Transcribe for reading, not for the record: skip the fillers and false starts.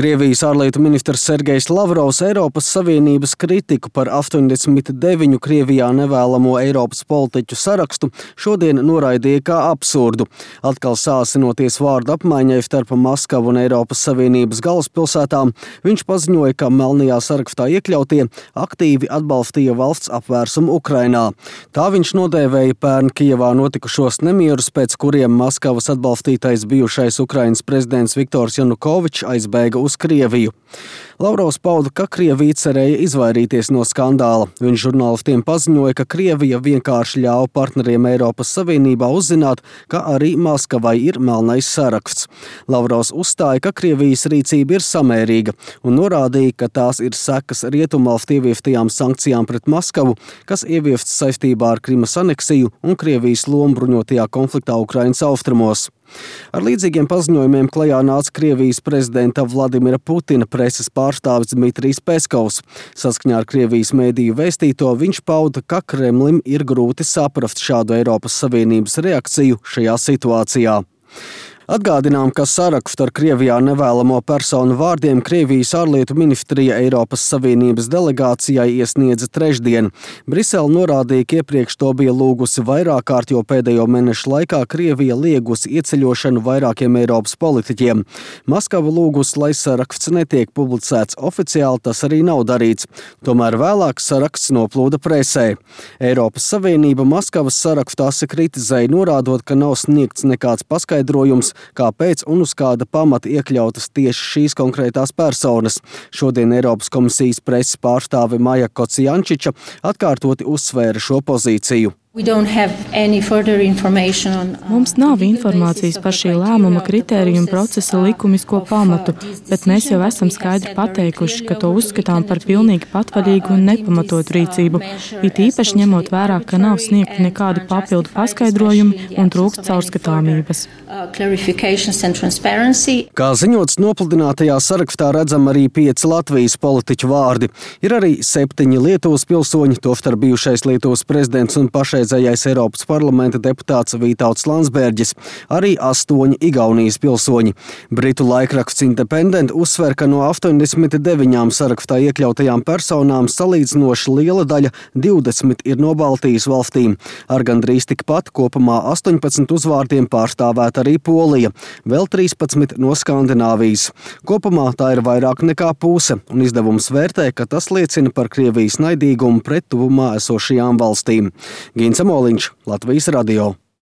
Krievijas ārlietu ministrs Sergejs Lavrovs Eiropas Savienības kritiku par 89 Krievijā nevēlamo Eiropas politiķu sarakstu šodien noraidīja kā absurdu. Atkal sāsinoties vārdu apmaiņai starp Maskavu un Eiropas Savienības galvaspilsētām, viņš paziņoja, ka melnajā sarakstā iekļautie aktīvi atbalstīja valsts apvērsumu Ukrainā. Tā viņš nodēvēja pērn Kijevā notikušos nemierus, pēc kuriem Maskavas atbalstītais bijušais Ukrainas prezidents Viktors Janukovičs aizbēga uz Krieviju. Lavrovs pauda, ka Krievija cerēja izvairīties no skandāla. Viņš žurnālistiem paziņoja, ka Krievija vienkārši ļāva partneriem Eiropas Savienībā uzzināt, ka arī Maskavai ir melnais saraksts. Lavrovs uzstāja, ka Krievijas rīcība ir samērīga un norādīja, ka tās ir sekas rietumvalstu ieviestajām sankcijām pret Maskavu, kas ieviestas saistībā ar Krimas aneksiju un Krievijas lomu bruņotajā konfliktā Ukrainas austrumos. Ar līdzīgiem paziņojumiem klajā nāca Krievijas prezidenta Vladimira Putina preses pārstāvis Dmitrijs Peskovs. Saskaņā ar Krievijas mēdīju vēstīto viņš pauda, ka Kremlim ir grūti saprast šādu Eiropas Savienības reakciju šajā situācijā. Atgādinām, ka sarakstu ar Krievijā nevēlamo personu vārdiem Krievijas ārlietu ministrija Eiropas Savienības delegācijai iesniedza trešdien. Brisele norādīja, ka iepriekš to bija lūgusi vairāk kārt, jo pēdējo mēnešu laikā Krievija liegusi ieceļošanu vairākiem Eiropas politiķiem. Maskava lūgusi, lai saraksts netiek publicēts oficiāli, tas arī nav darīts. Tomēr vēlāk saraksts noplūda presē. Eiropas Savienība Maskavas sarakstu asi kritizēja, norādot, ka nav sniegts nekāds paskaidrojums, kāpēc un uz kāda pamata iekļautas tieši šīs konkrētās personas. Šodien Eiropas komisijas preses pārstāve Maja Kocijančiča atkārtoti uzsvēra šo pozīciju. Mums nav informācijas par šī lēmuma kritēriju un procesa likumisko pamatu, bet mēs jau esam skaidri pateikuši, ka to uzskatām par pilnīgi patvaļīgu un nepamatotu rīcību, it īpaši ņemot vērā, ka nav sniegti nekādi papildu paskaidrojumi un trūkst caurskatāmības. Kā ziņots, nopludinātajā sarakstā redzam arī 5 Latvijas politiķu vārdi. Ir arī 7 Lietuvas pilsoņi, tostarp bijušais Lietuvas prezidents un pašreizējais Eiropas parlamenta deputāts Vītauts Landsbergis, arī 8 Igaunijas pilsoņi. Britu laikraksts Independent uzsver, ka no 89 sarakstā iekļautajām personām salīdzinoši liela daļa 20 ir no Baltijas valstīm. Ar gandrīz tikpat kopumā 18 uzvārdiem pārstāvēta arī Polija, vēl 13 no Skandināvijas. Kopumā tā ir vairāk nekā puse, un izdevums vērtē, ka tas liecina par Krievijas naidīgumu pret tuvumā esošajām valstīm. Gins Amoliņš, Latvijas radio.